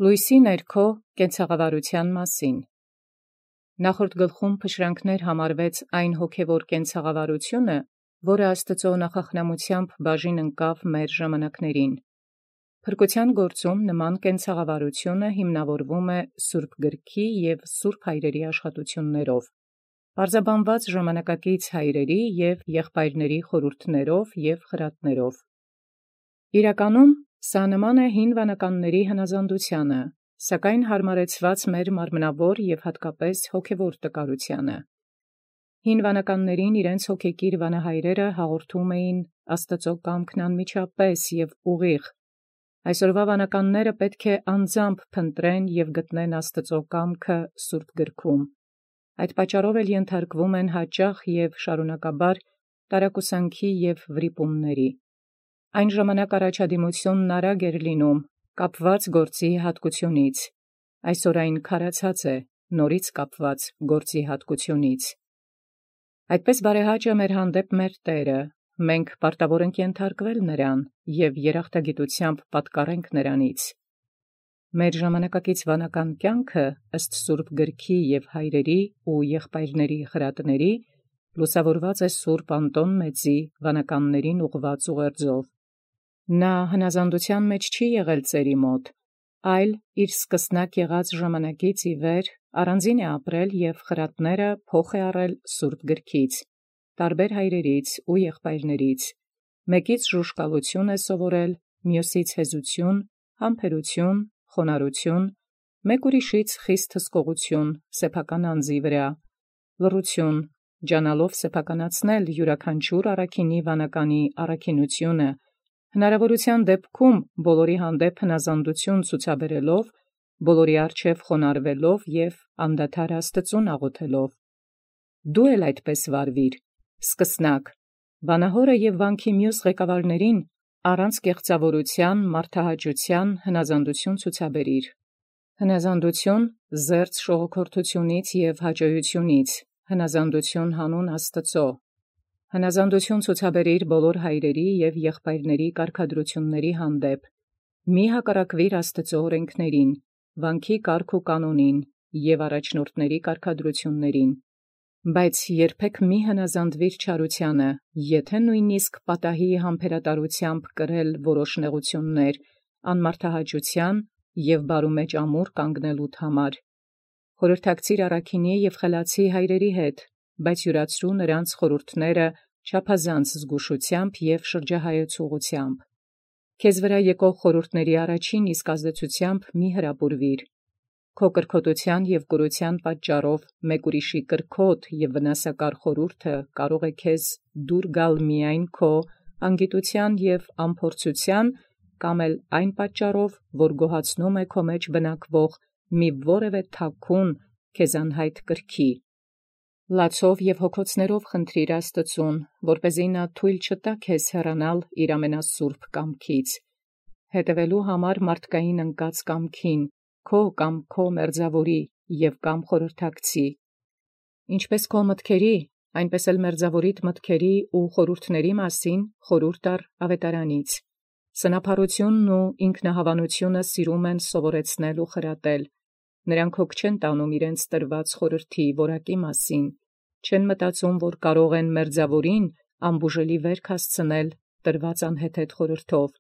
Լույսի ներքո կենցաղավարութեան մասին։ Նախորդ գլխում փշրանքներ համարվեց այն հոգևոր կենցաղավարությունը, որը Աստուծոյ նախախնամութեամբ բաժին ընկավ մեր ժամանակներին։ Փրկութեան գործում նման կենցաղավարությունը հիմնավորվում է Սուրբ Գրքի և Սուրբ Հայրերի աշխատութիւններով, պարզաբանված ժամանակակից հայրերի և եղբայրների խորհուրդներով և խրատներով։ Իրականում սա նման է հին վանականների հնազանդութեանը, սակայն հարմարեցված մեր մարմնավոր և հատկապես հոգևոր տկարութեանը։ Հին վանականներին իրենց հոգեկիր վանահայրերը հաղորդում էին Աստուծոյ կամքն անմիջապես և ուղիղ։ Այսօրվա վանականները պետք է անձամբ փնտրեն և գտնեն Աստուծոյ կամքը Սուրբ Գրքում։ Այդ պատճառով էլ ենթարկվում են հաճախ և շարունակաբար տարակուսանքի և վրիպումների։ Այն ժամանակ առաջադիմութիւնն արագ էր լինում, կապված գործի հատկութիւնից, այսօր այն քարացած է, նորից կապված գործի հատկութիւնից։ Այդպէս բարեհաճ է մեր հանդեպ մեր Տէրը, մենք պարտավոր ենք ենթարկվել նրան և երախտագիտութեամբ պատկառենք նրանից։ Մեր ժամանակակից վանական կյանքը ըստ Սուրբ Գրքի և հայրերի ու եղբայրների խրատների լուսաւորված է Սուրբ Անտոն Մեծի վանականներին ուղղված ուղերձով։ Նա հնազանդութեան մեջ չի եղել ծերի մոտ, այլ իր սկսնակ եղած ժամանակից ի վեր առանձին է ապրել և խրատները փոխ է առել Սուրբ Գրքից, տարբեր հայրերից ու եղբայրներից, մեկից ժուժկալութիւն է սովորել, մյուսից հեզութիւն, համբերութիւն, խոնարհութիւն, մեկ ուրիշից խիստ հսկողութիւն սեփական անձի վրա, լռութիւն, ջանալով սեփականացնել յուրաքանչյուր առաքինի վանականի առաքինութիւնը, հնարավորութեան դեպքում բոլորի հանդեպ հնազանդութիւն ցուցաբերելով, բոլորի առջև խոնարհվելով և անդադար Աստուծոյ աղոթելով։ Դու էլ այդպես վարվիր, սկսնակ, վանահորը և վանքի մյուս ղեկավարներին առանց կեղծաւորութեան մարդահաճութեան հնազանդութիւն ցուցաբերիր։ Հնազանդութիւն զերծ շողոքորթութիւնից և հաճոյութիւնից, հնազանդութիւն հանուն Աստուծոյ։ Հնազանդութիւն ցուցաբերիր բոլոր հայրերի և եղբայրների կարգադրութիւնների հանդեպ, մի հակառակվիր Աստուծոյ օրենքներին, վանքի կարգ ու կանոնին և առաջնորդների կարգադրութիւններին, բայց երբեք մի հնազանդվիր չարութեանը, եթէ նույնիսկ պատահի համբերատարութեամբ կրել որոշ նեղութիւններ, անմարդահաճութեան և բարումեջ ամուր կանգնելոյ համար։ Խորհրդակցիր առաքինի և խելացի հայրերի հետ, բայց յուրացրու նրանց խորհուրդները չափազանց զգուշութեամբ և շրջահայեցուղութեամբ։ Քեզ վրա եկող խորհուրդների առաջին իսկ ազդեցութեամբ մի հրապուրվիր։ Քո կրքոտութեան և կուրութեան պատճառով մեկ ուրիշի կրքոտ և վնասակար խորհուրդը կարող է քեզ դուր գալ միայն քո անգիտութեան և անփորձութեան կամ էլ այն պատճառով, որ գոհացնում է քո մեջ բնակվող մի որևէ թաքուն քեզ անհայտ կրքի։ Լացով և հոգոցներով խնդրիր Աստուծուն, որպեսզի նա թույլ չտա քեզ հեռանալ իր ամենասուրբ կամքից, հետևելու համար մարդկային ընկած կամքին, քո կամ քո մերձաւորի և կամ խորհրդակցի։ Ինչպես քո մտքերի, այնպես էլ մերձաւորիդ մտքերի ու խորհուրդների մասին խորհուրդ առ աւետարանից։ Սնափառութիւնն ու ինքնահավանութիւնը սիրում են սովորեցնել ու խրատել. նրանք հոգ չեն տանում իրենց տրված խորհրդի որակի մասին, չեն մտածում, որ կարող են մերձաւորին անբուժելի վերք հասցնել տրված անհեթեթ խորհրդով,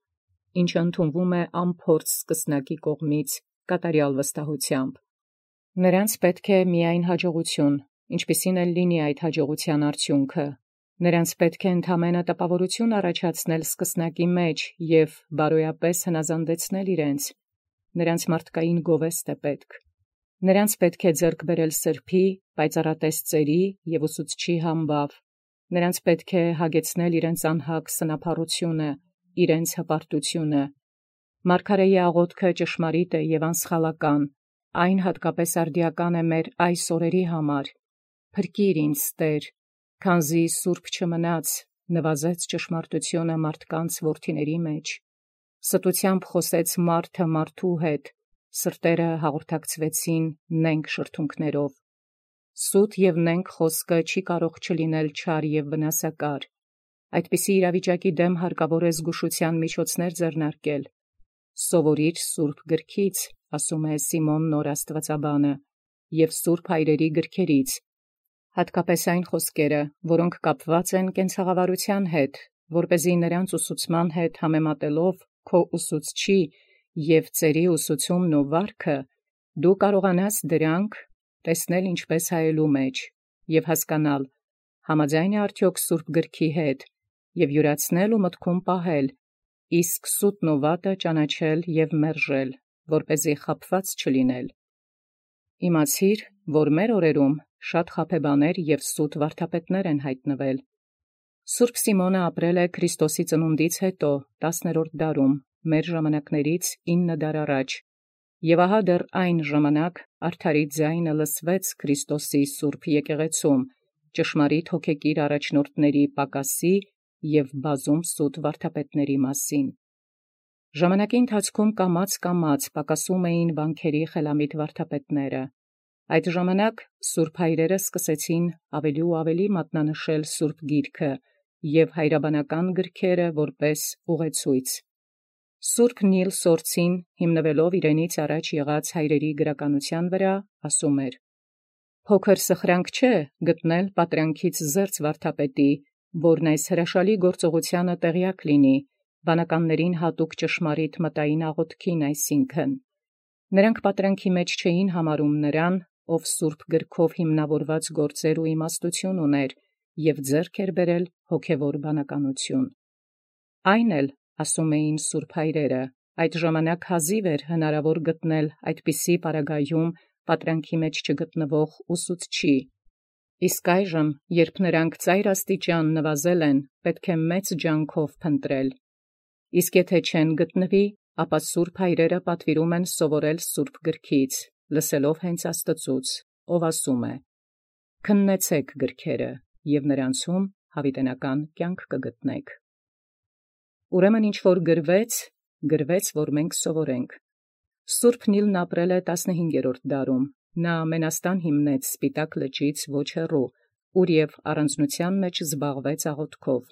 ինչը ընդունվում է անփորձ սկսնակի կողմից կատարյալ վստահութեամբ։ Նրանց պետք է միայն հաջողութիւն, ինչպիսին էլ լինի այդ հաջողութեան արդյունքը։ Նրանց պետք է ընդամենը տպաւորութիւն առաջացնել սկսնակի մեջ և բարոյապես հնազանդեցնել իրենց։ Նրանց մարդկային գովեստ է պետք։ Նրանց պետք է ձեռք բերել սրբոյ, պայծառատես ծերի և ուսուցչի համբաւ։ Նրանց պետք է հագեցնել իրենց անհագ սնափառութիւնը, իրենց հպարտութիւնը։ Մարգարէի աղոթքը ճշմարիտ է և անսխալական, այն հատկապես արդիական է մեր այս օրերի համար։ Փրկիր ինձ, Տէր, քանզի սուրբ չմնաց, նվազեց ճշմարտութիւնը մարդկանց որդիների մեջ։ Ստութեամբ խոսեց մարդը մարդու հետ, սրտերը հաղորդակցվեցին նենգ շրթունքներով։ Սուտ և նենգ խոսքը չի կարող չլինել չար և վնասակար։ Այդպիսի իրավիճակի դեմ հարկավոր է զգուշութեան միջոցներ ձեռնարկել։ Սովորիր սուրբ գրքից, ասում է Սիմոն նոր աստվածաբանը, և սուրբ հայրերի գրքերից, հատկապես այն խոսքերը, որոնք կապված են կենցաղավարության հետ, որպեսզի նրանց ուսուցման հետ համեմատելով քո ուսուցչի և ծերի ուսուցումն ու վարքը, դու կարողանաս դրանք տեսնել ինչպես հայելու մեջ և հասկանալ, համաձայն է արդյոք սուրբ գրքի հետ, և յուրացնել ու մտքում պահել, իսկ սուտն ու վատը ճանաչել և մերժել, որպեսզի խաբված չլինել։ Իմացիր, որ մեր օրերում շատ խաբեբաներ և սուտ վարդապետներ են հայտնվել։ Սուրբ Սիմոնը ապրել է Քրիստոսի ծնունդից հետո 10-րդ դարում, մեր ժամանակներից 9 դար առաջ, և ահա դեռ այն ժամանակ արդարի ձայնը լսվեց Քրիստոսի սուրբ եկեղեցում, ճշմարիտ հոգեկիր առաջնորդների պակասի և բազում սուտ վարդապետների մասին։ Ժամանակի ընթացքում կամաց պակասում էին վանքերի խելամիտ վարդապետները։ Այդ ժամանակ սուրբ հայրերը սկսեցին ավելի ու ավելի մատնանշել սուրբ գիրքը և հայրաբանական գրքերը որպես ուղեցույց։ Սուրբ Նիլ Սորցին, հիմնվելով իրենից առաջ եղած հայրերի գրականության վրա, ասում էր. «Փոքր սխրանք չէ գտնել պատրանքից զերծ վարդապետի, որն այս հրաշալի գործողությանը տեղյակ լինի, վանականներին հատուկ ճշմարիտ մտային աղոթքին այսինքն։ Նրանք պատրանքի մեջ չէին համարում նրան, ով սուրբ գրքով հիմնավորված գործեր ու իմաստություն ուներ և ձեռք էր բերել հոգևոր բանականություն։ Այն էլ, ասում էին սուրբ հայրերը, այդ ժամանակ հազիվ էր հնարավոր գտնել այդպիսի պարագայում պատրանքի մեջ չգտնվող ուսուցչի։ Իսկ այժմ, երբ նրանք ծայր աստիճան նվազել են, պետք է մեծ ջանքով փնտրել։ Իսկ եթե չեն գտնվի, ապա սուրբ հայրերը պատվիրում են սովորել սուրբ գրքից, լսելով հենց Աստծուց, ով ասում է. «Քննեցեք գրքերը, և նրանցում հավիտենական կյանք կգտնեք»։ Ուրեմն ինչ որ գրվեց, որ մենք սովորենք։ Սուրբ Նիլն ապրել է 15-րդ դարում, նա մենաստան հիմնեց Սպիտակ լճից ոչ հեռու, ուր և առանձնության մեջ զբաղվեց աղոթքով։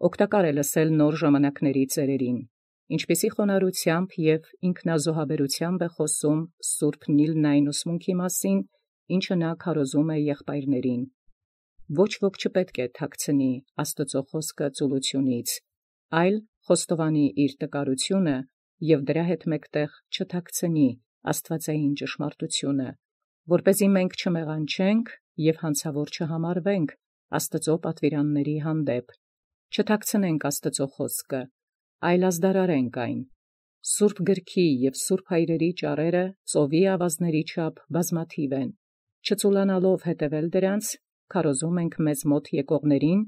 Օգտակար է լսել նոր ժամանակների ծերերին, ինչպիսի խոնարհությամբ և ինքնազոհաբերությամբ է խոսում Սուրբ Նիլն այն ուսմունքի մասին, ինչը նա քարոզում է եղբայրներին։ Ոչ ոք չպետք է թաքցնի Աստծո խոսքը ծուլությունից, այլ խոստովանի իր տկարությունը և դրա հետ մեկտեղ չթաքցնի աստվածային ճշմարտությունը, որպեսզի մենք չմեղանչենք և հանցավոր չհամարվենք Աստծո պատվիրանների հանդեպ, չթաքցնենք Աստծո խոսքը, այլ ազդարարենք այն։ Սուրբ գրքի և սուրբ հայրերի ճառերը ծովի ավազների չափ բազմաթիվ են։ Չծուլանալով հետևել դրանց, քարոզում ենք մեզ մոտ եկողներին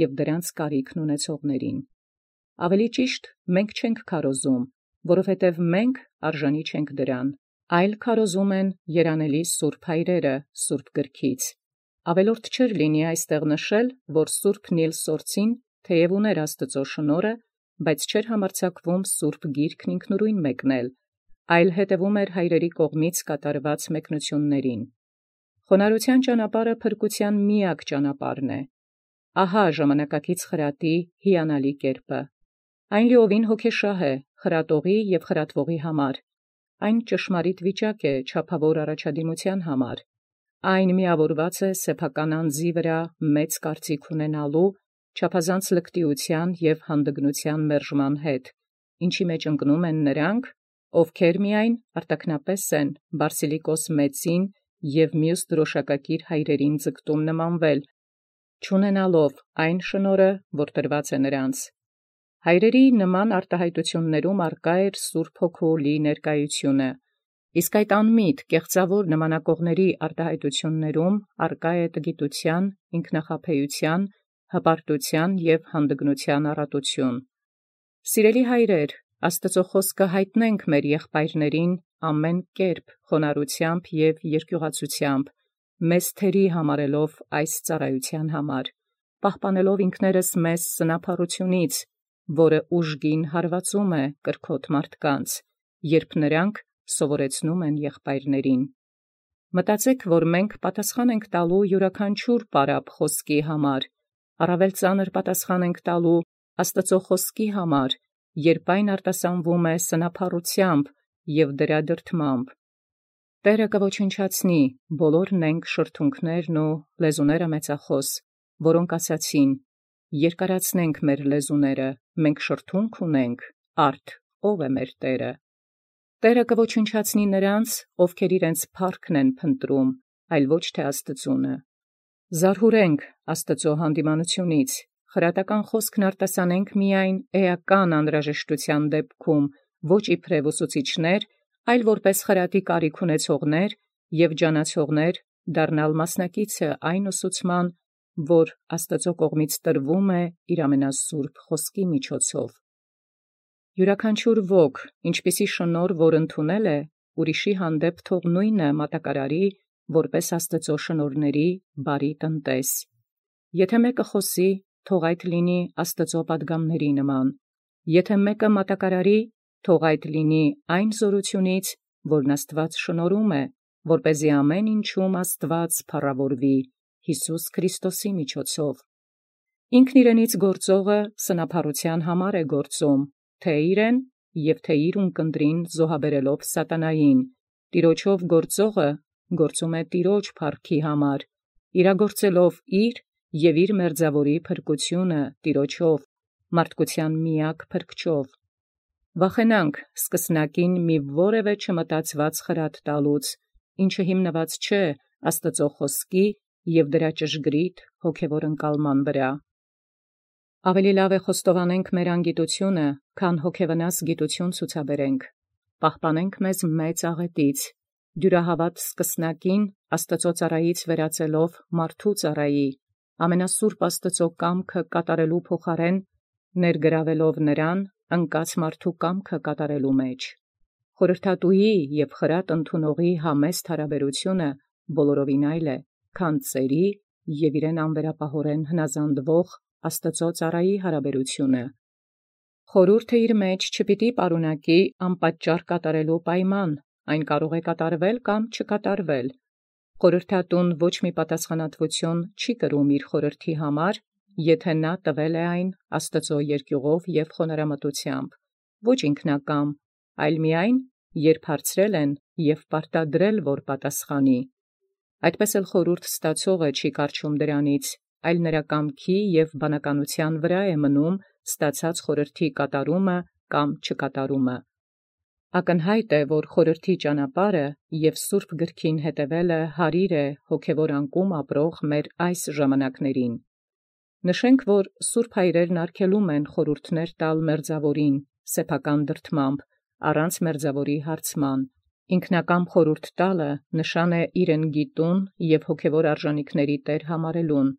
և դրանց կարիքն ունեցողներին։ Ավելի ճիշտ, մենք չենք քարոզում, որովհետև մենք արժանի չենք դրան, այլ քարոզում են երանելի սուրբ հայրերը սուրբ գրքից։ Ավելորդ չէր լինի այստեղ նշել, որ սուրբ Նիլ Սորցին թեև ուներ Աստծո շնորհը, բայց չէր համարձակվում սուրբ գիրքն ինքնուրույն մեկնել, այլ հետևում էր հայրերի կողմից կատարված մեկնություններին։ Խոնարհության ճանապարհը փրկության միակ ճանապարհն է։ Ահա ժամանակակից խրատի հիանալի կերպը։ Այն լիովին հոգեշահ է խրատողի և խրատվողի համար։ Այն ճշմարիտ վիճակ է չափավոր առաջադիմության համար։ Այն միավորված է սեփական անձի վրա մեծ կարծիք ունենալու, չափազանց լկտիության և հանդգնության մերժման հետ, ինչի մեջ ընկնում են նրանք, ովքեր միայն արտաքնապես են Բարսիլիկոս մեծին և մյուս դրոշակակիր հայրերին ձգտում նմանվել, չունենալով այն շնորհը, որ տրված է նրանց։ Հայրերի նման արտահայտություններում արկա էր Սուրբ Հոգու լի ներկայությունը, իսկ այդ անմիտ կեղծավոր նմանակողների արտահայտություններում արկա է տգիտության, ինքնախաբեության, հպարտության և հանդգնության առատություն։ Սիրելի հայրեր, Աստծո խոսքը հայտնենք մեր եղբայրներին ամեն կերպ խոնարհությամբ և երկյուղացությամբ, մեզ թերի համարելով այս ծառայության համար, պահպանելով ինքներս մեզ սնափառությունից, որը ուժգին հարվածում է կրքոտ մարդկանց, երբ նրանք սովորեցնում են եղբայրներին։ Մտածեք, որ մենք պատասխան ենք տալու յուրաքանչյուր պարապ խոսքի համար, առավել ծանր պատասխան ենք տալու Աստծո խոսքի համար, երբ այն արտասանվում է սնափառութեամբ և դրադրթմամբ։ Տէրը կոչնչացնի բոլորն ենք շրթունքներն ու լեզուները մեծախոս, որոնք ասացին. երկարացնենք մեր լեզուները, մենք շրթունք ունենք, արդ ո՞վ է մեր Տէրը։ Տէրը կոչնչացնի նրանց, ովքեր իրենց փառքն են փնտրում, այլ ոչ թե Աստուծունը։ Զարհուրենք Աստուծոյ յանդիմանութիւնից, խրատական խոսքն արտասանենք միայն էական անհրաժեշտութեան դեպքում, ոչ իբրև ուսուցիչներ, այլ որպէս խրատի կարիք ունեցողներ և ջանացողներ դառնալ մասնակիցը այն ուսուցման, որ Աստուծոյ կողմից տրվում է իր ամենասուրբ խոսքի միջոցով։ Յուրաքանչյուր ոք, ինչպիսի շնորհ որ ընդունել է, ուրիշի հանդեպ թող նույնը մատակարարի, որպէս Աստուծոյ շնորհների բարի տնտես։ Եթէ մեկը խոսի, թող այդ լինի Աստուծոյ պատգամացն նման, եթէ մեկը մատակարարի, թող այդ լինի այն զօրութիւնից, որն Աստուած շնորհում է, որպեսզի ամեն ինչում Աստուած փառաւորվի Յիսուս Քրիստոսի միջոցով։ Ինքն իրենից գործողը սնափառութեան համար է գործում, թե իրեն և թե իր ունկնդրին զոհաբերելով սատանային, տիրոջով գործողը գործում է տիրոջ փառքի համար, իրագործելով իր և իր մերձաւորի փրկութիւնը տիրոջով, մարդկութեան միակ փրկչով։ Վախենանք սկսնակին մի որևէ չմտածված խրատ տալուց, ինչը հիմնված չէ Աստուծոյ խոսքի և դրա ճշգրիտ հոգևոր ընկալման վրա։ Ավելի լավ է խոստովանենք մեր անգիտութիւնը, քան հոգևնաս գիտութիւն ցուցաբերենք։ Պահպանենք մեզ մեծ աղետից, դյուրահավատ սկսնակին Աստուծոյ ծառայից վերածելով մարդու ծառայի, ամենասուրբ Աստուծոյ կամքը կատարելու փոխարեն ներգրավելով նրան ընկած մարդու կամքը կատարելու մեջ։ Խորհրդատուի և խրատ ընդունողի համեստ հարաբերութիւնը բոլորովին այլ է, քան ծերի և իրեն անվերապահորեն հնազանդվող Աստուծոյ ծառայի հարաբերութիւնը։ Խորհուրդը իր մեջ չպիտի պարունակի անպատճառ կատարելու պայման, այն կարող է կատարվել կամ չկատարվել։ Խորհրդատուն ոչ մի պատասխանատվութիւն չի կրում իր խորհրդի համար, եթէ նա տվել է այն Աստուծոյ երկիւղով և խոնարհամտութեամբ, ոչ ինքնակամ, այլ միայն երբ հարցրել են և պարտադրել, որ պատասխանի։ Այդպէս էլ խորհուրդ ստացողը չի կառչում դրանից, այլ նրա կամքի և բանականութեան վրա է մնում ստացած խորհրդի կատարումը կամ չկատարումը։ Ակնյայտ է, որ խորհրդի ճանապարհը և սուրբ գրքին հետևելը հարիր է հոգևոր անկում ապրող մեր այս ժամանականերին։ Նշենք, որ սուրբ հայրերն արգելում են խորհուրդներ տալ մերձաւորին սեփական դրդմամբ, առանց մերձաւորի հարցման։ Ինքնակամ խորհուրդ տալը նշան է իրեն գիտուն և հոգևոր արժանիքների տեր համարելուն,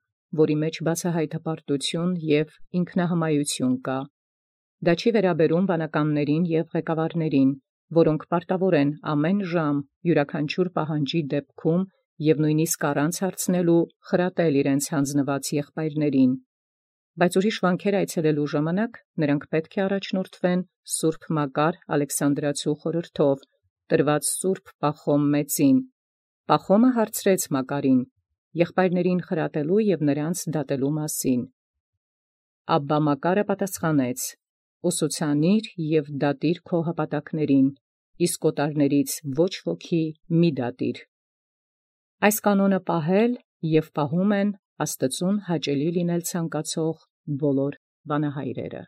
որի մեջ բացահայտ հպարտութիւն և ինքնահմայութիւն կա։ Դա չի վերաբերում վանականներին և ղեկավարներին, որոնք պարտավոր են ամեն ժամ յուրաքանչյուր պահանջի դեպքում և նույնիսկ առանց հարցնելու խրատել իրենց յանձնված եղբայրներին։ Բայց ուրիշ վանքեր այցելելու ժամանակ նրանք պետք է առաջնորդվեն սուրբ Մակար Ալեքսանդրացու խորհրդով, տրված սուրբ Պախոմ մեծին։ Պախոմը հարցրեց Մակարին եղբայրներին խրատելու և նրանց դատելու մասին։ Աբբա Մակարը պատասխանեց. «Ուսուցանիր և դատիր քո հպատակներին, իսկ օտարներից ոչ ոքի մի դատիր»։ Այս կանոնը պահել և պահում են Աստուծուն հաճելի լինել ցանկացող բոլոր վանահայրերը։